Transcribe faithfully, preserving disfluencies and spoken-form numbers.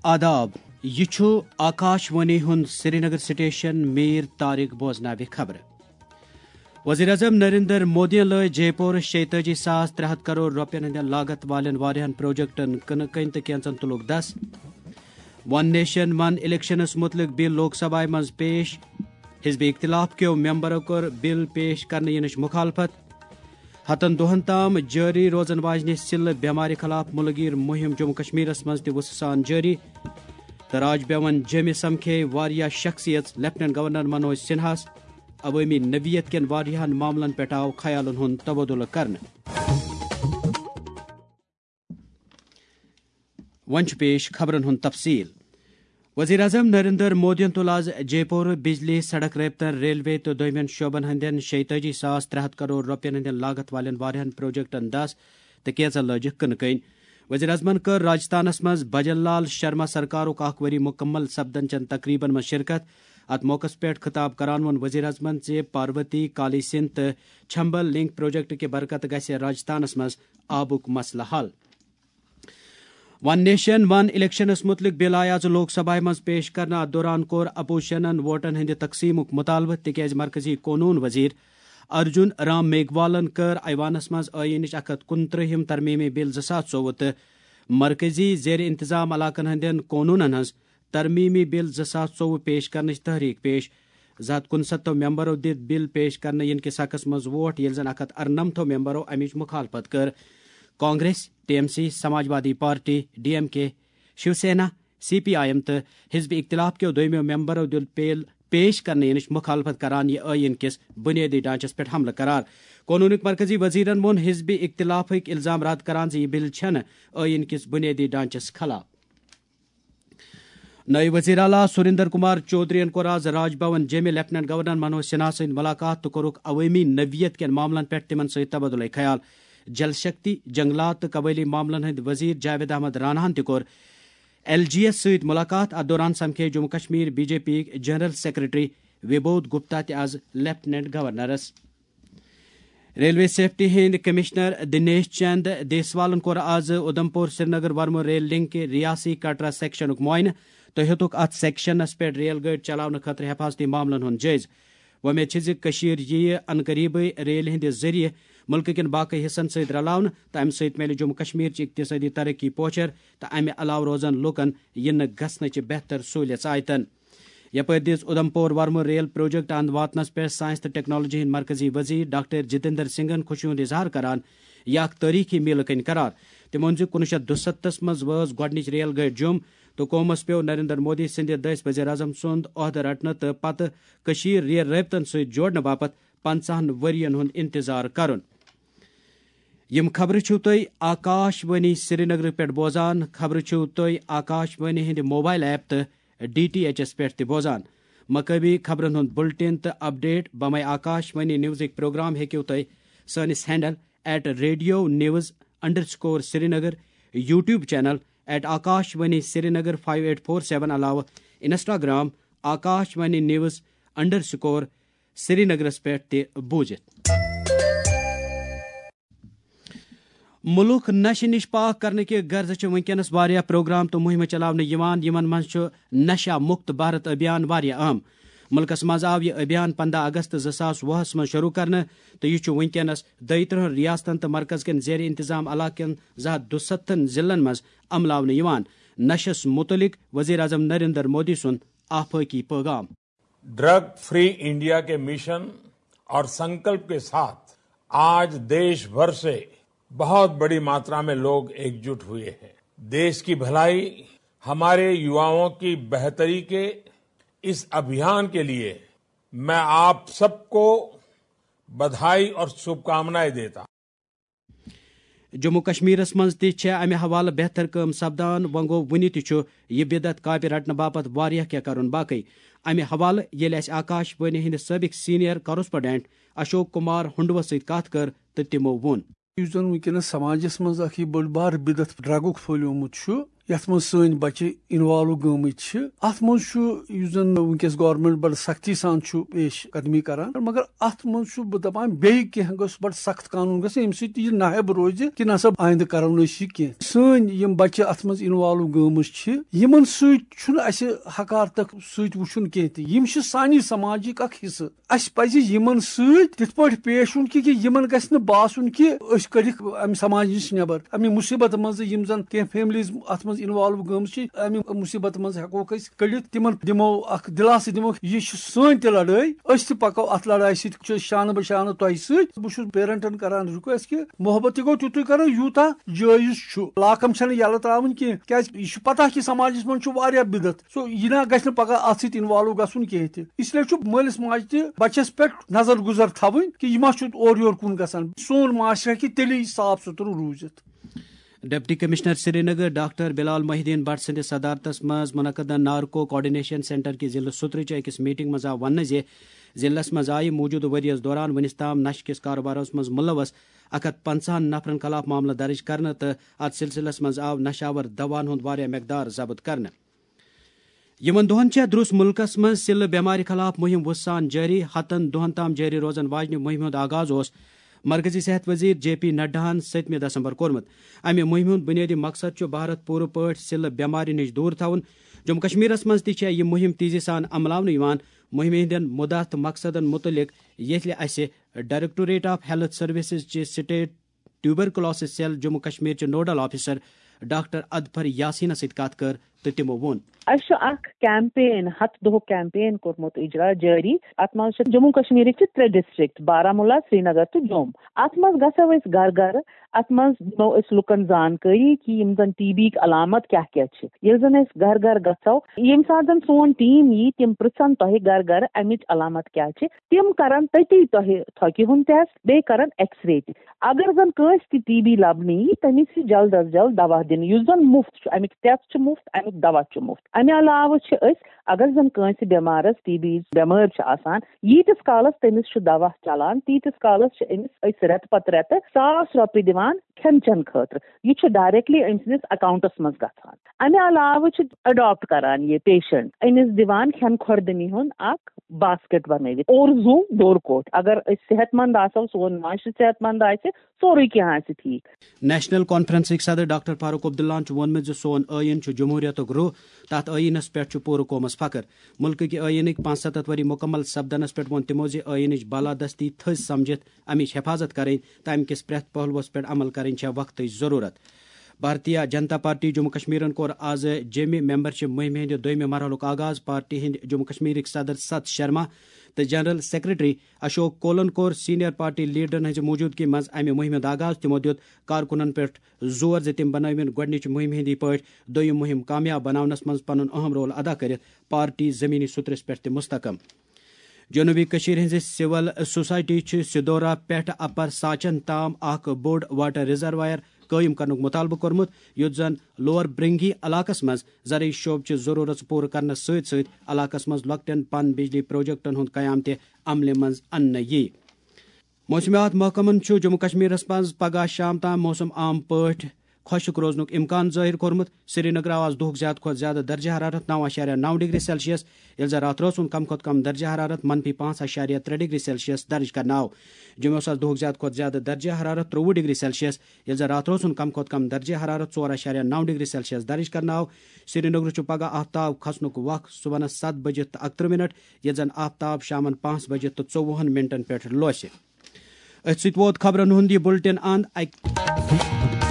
آداب، یہِ چھُ آکاش وانی ہُنٛد سرینگر سٹیشن۔ میر طارق بوزناوِ خبرٕ۔ وزیر اعظم نریندر مودیَن لٲج جے پورٕ شیٚتٲجی ساس ترٛےٚ ہتھ کرور رۄپین ہٕنٛدٮ۪ن لاگت والٮ۪ن واریاہن پروجیکٹن کٕنہٕ کٔنۍ تہٕ کینژن تُلُکھ دس۔ ون نیشن ون الیکشنس مُتعلق بل لوک سبھایہ منٛز پیش۔ حزب اختلاف کیو ممبرو کٔر بل پیش کرنہٕ یِنٕچ مخالفت۔ ہتن دۄہن تام جٲری روزن واجنہِ سِلہٕ بٮ۪مارِ خلاف مُلہٕ گیٖر مُہِم جموں کشمیرس منٛز تہِ وُسہٕ سان جٲری۔ تہٕ راج بھون جیٚمہِ سمکھے واریاہ شخصیژ لیفٹیننٹ گورنر منوج سنہاہس۔ عوٲمی نوعیت کٮ۪ن واریاہن معاملن پٮ۪ٹھ آو خیالن ہُنٛد تبادلہٕ کرنہٕ۔ وۄنۍ چھُ پیش خبرن ہُنٛد تفصیل۔ وزیر اعظم نریندر مودیَن تُل آز جے پورٕ بجلی، سڑک رٲبطن، ریلوے تہٕ دوٚیمٮ۪ن شعبن ہٕنٛدٮ۪ن شیٚتٲجی ساس ترٛےٚ ہتھ کرور رۄپین ہٕنٛدٮ۪ن لاگت والٮ۪ن واریاہن پروجیکٹن دس تہٕ کینژن لٲجِکھ کٕنہٕ کٔنۍ۔ وزیر اعظمن کٔر راجستھانس منٛز بھجن لال شرما سرکارُک اکھ ؤری مُکمل سپدن چٮ۪ن تقریبن منٛز شرکت۔ اتھ موقعس پٮ۪ٹھ خطاب کران ووٚن وزیر اعظمن زِ پاروتی، کالی سندھ تہٕ چھمبل لنک پروجیکٹ کہِ برکتہٕ گژھِ راجستھانس منٛز آبُک مسلہٕ حل۔ ون نیشن ون الیکشنس مُتعلق بل آیہِ آز لوک سبھایہ منٛز پیش کرنہٕ۔ اتھ دوران کوٚر اپوزیشنن ووٹن ہٕنٛدِ تقسیمُک مطالبہٕ، تِکیازِ مرکزی قونوٗن وزیر ارجن رام میگھوالن کٔر ایوانس منٛز ٲییٖنٕچ اکھ ہتھ کُنترٛہِم ترمیمی بل زٕ ساس ژوٚوُہ تہٕ مرکزی زیر انتظام علاقن ہٕنٛدٮ۪ن قونوٗنن ہٕنٛز ترمیمی بل زٕ ساس ژوٚوُہ پیش کرنٕچ تحریک پیش۔ زٕ ہتھ کُنستتھو ممبرو دِتۍ بل پیش کرنہٕ یِنہٕ کِس حقس منٛز ووٹ، ییٚلہِ زن اکھ ہتھ ارنمتھو ممبرو امِچ مخالفت کٔر۔ Congress, T M C, Samajwadi party, D M K, Shiv Sena, C P I M تہٕ حزب اختلاف کیو دویمو ممبرو دِیُت بل پیش کرنہٕ یِنٕچ مخالفت کران یہِ ٲییٖن کِس بنیٲدی ڈھانچس پٮ۪ٹھ حملہٕ قرار۔ قونوٗنٕکۍ مرکزی وزیرن ووٚن حزب اختلافٕکۍ الزام رد کران زِ یہِ بل چھنہٕ ٲییٖن کِس بنیٲدی ڈھانچس خلاف۔ نٲیِب وزیر اعلیٰ سریندر کمار چودھرین کوٚر آز راج بھون جیٚمہِ لیفٹیننٹ گورنر منوج سنہا سۭتۍ ملاقات تہٕ کوٚرُکھ عوٲمی نوعیت کٮ۪ن معاملن پٮ۪ٹھ تِمن سۭتۍ تبادلہ خیال۔ جل شکتی، جنگلات تہٕ قبٲئلی معاملن ہٕنٛدۍ وزیر جاوید احمد راناہن تہِ کوٚر ایل جی یس سۭتۍ ملاقات۔ اتھ دوران سمکھے Jammu Kashmir B J P یِکۍ جنرل سیکرٹری وبودھ گپتا تہِ آز لیفٹیننٹ گورنرس۔ ریلوے سیفٹی ہٕنٛدۍ کمشنر دنیش چند دیسوالن کوٚر آز اودھمپور سرینگر ورمو ریل لنک ریاسی کٹرا سیکشنُک معائنہٕ تہٕ ہیوٚتُکھ اتھ سیکشنس پٮ۪ٹھ ریل گٲڑۍ چلاونہٕ خٲطرٕ حفاظتی معاملن ہُنٛد جٲیزٕ۔ وۄمید چھِ زِ کٔشیٖر یِیہِ انقریبٕے ریلہِ ہٕنٛدِ ذٔریعہٕ مُلکہٕ کٮ۪ن باقٕے حصن سۭتۍ رلاونہٕ تہٕ امہِ سۭتۍ میلہِ جموں کشمیرچہِ اقتصٲدی ترقی پوچھر تہٕ امہِ علاوٕ روزن لوٗکن یِنہٕ گژھنٕچہِ بہتر سہوٗلیژ آیتن۔ یپٲرۍ دِژ اودھمپور ورمو ریل پروجیکٹ اند واتنس پٮ۪ٹھ سائنس تہٕ ٹیکنالوجی ہٕنٛدۍ مرکزی وزیر ڈاکٹر جتیندر سنگھن خوشی ہُنٛد اظہار کران یہِ اکھ تٲریخی میلہٕ کٔنۍ قرار۔ تٔمۍ ووٚن زِ کُنوُہ شیٚتھ دُستتھس منٛز وٲژ گۄڈٕنِچ ریل گٲڑۍ جوٚم تہٕ قومس پیوٚو نریندر مودی سٕنٛدِ دٔسۍ وزیر اعظم سُنٛد عہدٕ رٹنہٕ تہٕ پتہٕ کٔشیٖر ریل رٲبطن سۭتۍ جوڑنہٕ باپتھ پنژاہن ؤرین ہُنٛد انتظار کرُن۔ یِم خبرٕ چھِو تُہۍ آکاش وانی سرینگرٕ پٮ۪ٹھ بوزان۔ خبرٕ چھِو تُہۍ آکاش وانی ہٕنٛدِ موبائل ایپ تہٕ ڈی ٹی ایچ ایس پٮ۪ٹھ تہِ بوزان۔ مقٲمی خبرن ہُنٛد بُلٹن تہٕ اپڈیٹ بمے آکاش وانی نیوزٕکۍ پروگرام ہیٚکِو تُہۍ سٲنِس handle at radio news underscore Srinagar, YouTube channel at Akashvani Srinagar five eight four seven علاوٕ Instagram Akashvani news underscore سرینگرس پٮ۪ٹھ تہِ بوٗزِتھ۔ مُلُک نشہٕ نِش پاک کرنہٕ کہِ غرضہٕ چھِ وٕنکیٚنَس واریاہ پروگرام تہٕ مُہِمہٕ چلاونہٕ یِوان، یِمن منٛز چھُ نشہ مُکت بھارت ابھیان واریاہ اہم۔ مُلکَس منٛز آو یہِ ابھیان پنٛداہ اگست زٕ ساس وُہَس منٛز شروع کرنہٕ تہٕ یہِ چھُ وٕنکیٚنَس دۄیہِ ترٕٛہَن ریاستَن تہٕ مرکز کٮ۪ن زیر انتظام علاقہٕ کٮ۪ن زٕ ہَتھ دُسَتتھَن ضلعن منٛز عملاونہٕ یِوان۔ نشس مُتعلق وزیر اعظم نریندر مودی سُنٛد آفٲقی پیغام۔ ड्रग फ्री इंडिया के मिशन और संकल्प के साथ आज देश भर से बहुत बड़ी मात्रा में लोग एकजुट हुए हैं। देश की भलाई, हमारे युवाओं की बेहतरी के इस अभियान के लिए मैं आप सबको बधाई और शुभकामनाएं देता हूं। جموں کشمیرس منٛز تہِ چھےٚ امہِ حوالہٕ بہتر کٲم سپدان۔ وۄنۍ گوٚو، وُنہِ تہِ چھُ یہِ بدعت کاپہِ رٹنہٕ باپتھ واریاہ کینٛہہ کرُن باقٕے۔ امہِ حوالہٕ ییٚلہِ اسہِ آکاش وانی ہٕنٛدِ سٲبق سینئر کورسپونڈنٹ اشوک کمار ہنڈوس سۭتۍ کتھ کٔر تہٕ تِمو ووٚن۔ یُس زن وٕنکیٚنس سماجس منٛز اکھ یہِ بٔڑ بار بدعت ڈرگُک پھٔہلیومُت چھُ، یتھ منٛز سٲنۍ بچہِ انوالو گٔمٕتۍ چھِ۔ اتھ منٛز چھُ، یُس زن وٕنکیٚس گورنمنٹ بڑٕ سختی سان چھُ پیش قدمی کران، مگر اتھ منٛز چھُ بہٕ دپان، بیٚیہِ کینٛہہ گوٚژھ بڑٕ سخت قانون گژھُن، ییٚمہِ سۭتۍ یہِ ناہب روزِ کہِ نسا آیندٕ کرو نہٕ أسۍ یہِ کینٛہہ۔ سٲنۍ یِم بچہِ اتھ منٛز انوالو گٔمٕتۍ چھِ، یِمن سۭتۍ چھُنہٕ اسہِ حقارتک سۭتۍ وٕچھُن کینٛہہ تہِ۔ یِم چھِ سانہِ سماجِک اکھ حصہٕ۔ اسہِ پزِ یِمن سۭتۍ تِتھ پٲٹھۍ پیش یُن کہِ، کہِ یِمن گژھِ نہٕ باسُن کہِ أسۍ کٔڑِکھ امہِ سماج نِش نٮ۪بر، امہِ مُصیبتہٕ منٛزٕ۔ یِم زن کینٛہہ فیملیز اتھ منٛز انوالو گٔمٕژ چھِ، امہِ مُصیبتہٕ منٛز ہٮ۪کوکھ أسۍ کٔڑِتھ، تِمن دِمو اکھ دِلاسہٕ، دِمو، یہِ چھِ سٲنۍ تہِ لڑٲے، أسۍ تہِ پکو اتھ لڑایہِ سۭتۍ، چھِ شانہٕ بہ شانہٕ تۄہہِ سۭتۍ۔ بہٕ چھُس پیرنٹن کران ریکویسٹ کہِ محبت تہِ گوٚو تیُتُے کرو، یوٗتاہ جٲیز چھُ۔ لاکم چھنہٕ یَلہٕ تراوٕنۍ کینٛہہ، کیازِ یہِ چھُ پتہ کہِ سماجس منٛز چھُ واریاہ بدعت۔ سو، یہِ نہ گژھِ نہٕ پگاہ اتھ سۭتۍ انوالو گژھُن کینٛہہ تہِ۔ اس لیے چھُ مٲلِس ماجہِ تہِ بچس پٮ۪ٹھ نظر گُزر تھاوٕنۍ کہِ یہِ ما چھُ اورٕ یور کُن گژھان۔ سون معاشرٕ ہیٚکہِ تیٚلی صاف سُتھرٕ روٗزِتھ۔ ڈپٹی کمشنر سرینگر ڈاکٹر بلال محی الدین بٹ سٕنٛدِس صدارتس منٛز منعقدہ نارکو کوآرڈینیشن سینٹر کہِ ضلعہٕ سُترٕچ أکِس میٹنگ منٛز آو وننہٕ زِ ضلعس منٛز آیہِ موٗجوٗدٕ ؤرۍ یَس دوران وُنِس تام نشہٕ کِس کارٕبارس منٛز مُلوث اکھ ہتھ پنٛژاہن نفرن خلاف معاملہٕ درٕج کرنہٕ تہٕ اتھ سلسلس منٛز آو نشہٕ آور دواہن ہُنٛد واریاہ مقدار ضبط کرنہٕ۔ یِمن دۄہن چھےٚ درٛس مُلکس منٛز سِلہٕ بٮ۪مارِ خلاف مُہِم وُژھ سان جٲری۔ ہتن دۄہن تام جٲری روزن واجنہِ مُہِمہِ ہُنٛد آغاز اوس مرکزی صحت وزیر جے پی نڈاہن ستمہِ دسمبر کوٚرمُت۔ امہِ مُہِمہِ ہُنٛد بُنیٲدی مقصد چھُ بھارت پوٗرٕ پٲٹھۍ سِلہٕ بٮ۪مارِ نِش دوٗر تھاوُن۔ جموں کشمیرس منٛز تہِ چھےٚ یہِ مُہِم تیزی سان عملاونہٕ یِوان۔ مُہِمہِ ہٕنٛدٮ۪ن مُدعا تہٕ مقصدن مُتعلق ییٚلہِ اسہِ ڈائریکٹوریٹ آف ہیلتھ سروسز چہِ state tuberculosis cell Jammu Kashmir چہِ نوڈل آفیسر ڈاکٹر اظفر یاسینس سۭتۍ کتھ کٔر تہٕ تِمو ووٚن۔ اسہِ چھُ اکھ کیمپین، ہتھ دۄہُک کیمپین کوٚرمُت اجرا جٲری۔ اتھ منٛز چھِ جموں کشمیرٕکۍ چھِ ترٛےٚ ڈسٹرکٹ، بارہمولہ، سرینگر تہٕ جوٚم۔ اتھ منٛز گژھو أسۍ گرٕ گرٕ، اتھ منٛز دِمو أسۍ لُکن زانکٲری کہِ یِم زن ٹی بی ہٕکۍ علامت کیاہ کیاہ چھِ۔ ییٚلہِ زن أسۍ گرٕ گرٕ گژھو، ییٚمہِ ساتہٕ زن سون ٹیٖم یی، تِم پرژھن تۄہہِ گرٕ گرٕ امِچ علامت کیاہ چھِ۔ تِم کرن تٔتی تۄہہِ تھۄکہِ ہُنٛد ٹیسٹ، بیٚیہِ کرن ایکس رے تہِ۔ اگر زن کٲنٛسہِ تہِ ٹی بی لبنہٕ یی، تٔمِس یی جلد از جلد دوا دِنہٕ، یُس زن مُفت چھُ۔ امیُک ٹیسٹ چھُ مُفت، امیُک دوا چھُ مُفت۔ امہِ علاوٕ چھِ أسۍ، اگر زن کٲنٛسہِ بٮ۪مارس ٹی بی بٮ۪مٲرۍ چھِ آسان، ییٖتِس کالس تٔمِس چھُ دوا چلان، تیٖتِس کالس چھِ أمِس أسۍ رٮ۪تہٕ پتہٕ رٮ۪تہٕ ساس رۄپیہِ دِوان کھٮ۪ن چٮ۪ن خٲطرٕ۔ یہِ چھُ ڈائریکٹلی أمۍ سٕنٛدِس اکاؤنٹس منٛز گژھان۔ امہِ علاوٕ چھِ اڈاپٹ کران یہِ پیشنٹ، أمِس دِوان کھٮ۪ن خوردنی ہُنٛد اکھ باسکٹ بنٲوِتھ۔ اور زُو ڈور کوٹھ، اگر أسۍ صحت مند آسو، سون معاشرٕ صحت مند آسہِ، سورُے کینٛہہ آسہِ ٹھیٖک۔ نیشنل کانفرنسٕکۍ صدر ڈاکٹر فاروق عبداللہن چھُ ووٚنمُت زِ سون ٲیٖن چھُ جمہوریتُک روح، تتھ ٲیٖنس پٮ۪ٹھ چھُ پوٗرٕ قومس فخر۔ مُلکہٕ کہِ ٲیٖنٕکۍ پانٛژستتھ ؤری مُکمل سپدنس پٮ۪ٹھ ووٚن تِمو زِ ٲیٖنٕچ بالادستی تھٔز سمجھِتھ امِچ حفاظت کرٕنۍ تہٕ امہِ کِس پرٛٮ۪تھ پہلوس پٮ۪ٹھ عمل کرٕنۍ چھےٚ وقتٕچ ضروٗرت۔ بھارتیہ جنتا پارٹی جموں کشمیرن کوٚر آز جیٚمہِ ممبرشپ مُہِمہِ ہٕنٛدِ دوٚیمہِ مرحلُک آغاز۔ پارٹی ہٕنٛدۍ جموں کشمیرٕکۍ صدر ست شرما تہٕ جنرل سیکرٹری اشوک کولن کوٚر سینئر پارٹی لیڈرن ہٕنٛزِ موجودگی منٛز امہِ مُہِمہِ ہُنٛد آغاز۔ تِمو دِیُت کارکُنن پٮ۪ٹھ زور زِ تِم بنٲوِن گۄڈٕنِچہِ مُہِمہِ ہٕنٛدی پٲٹھۍ دوٚیِم مُہِم کامیاب بناونس منٛز پنُن اہم رول ادا کٔرِتھ پارٹی زمینی سطرس پٮ۪ٹھ تہِ مستحکم۔ جنوبی کشمیر ہٕنٛزِ سول سوسائٹی چھِ سدورا پٮ۪ٹھ اپر ساچن تام اکھ بوٚڑ واٹر ریزروائر قٲیِم کرنُک مطالبہٕ کوٚرمُت، یُتھ زن لوور برنگی علاقس منٛز زرعی شعبہٕ چہِ ضروٗرژ پوٗرٕ کرنس سۭتۍ سۭتۍ علاقس منٛز لۄکٹٮ۪ن پن بجلی پروجیکٹن ہُنٛد قیام تہِ عملہِ منٛز اننہٕ یِیہِ۔ موسمیات محکمن چھُ جموں کشمیرس منٛز پگہہ شام تام موسم عام پٲٹھۍ خۄشک روزنُک امکان ظٲہِر کوٚرمُت۔ سرینگر آو آز دُہُک زیادٕ کھۄتہٕ زیادٕ درجہ حرارت نو اَشاریہ نو ڈگری سیلسیس، ییٚلہِ زن راتھ رٲژ ہُنٛد کم کھۄتہٕ کم درجہ حرارت منفی پانٛژھ اَشاریہ ترٛےٚ ڈگری سیلسیس درج کرنہٕ آو۔ جوٚمہِ اوس آز دُہُک زیادٕ کھۄتہٕ زیادٕ درجہ حرارت ترٛوٚوُہ ڈگری سیلسیس، ییٚلہِ زن راتھ رٲژ ہُنٛد کم کھۄتہٕ کم درجہ حرارت ژور اَشاریہ نو ڈگری سیلسیس درج کرنہٕ آو۔ سرینگرٕ چھُ پگہہ آفتاب کھسنُک وق صبحنس ستھ بجہِ تہٕ اکترٕہ منٹ، ییٚلہِ زن آفتاب شامن پانٛژھ بجہِ تہٕ ژوٚوُہن منٹن پٮ۪ٹھ لوسہِ۔ أتھۍ سۭتۍ ووت خبرن ہُنٛد یہِ بُلٹن اند۔ اکہِ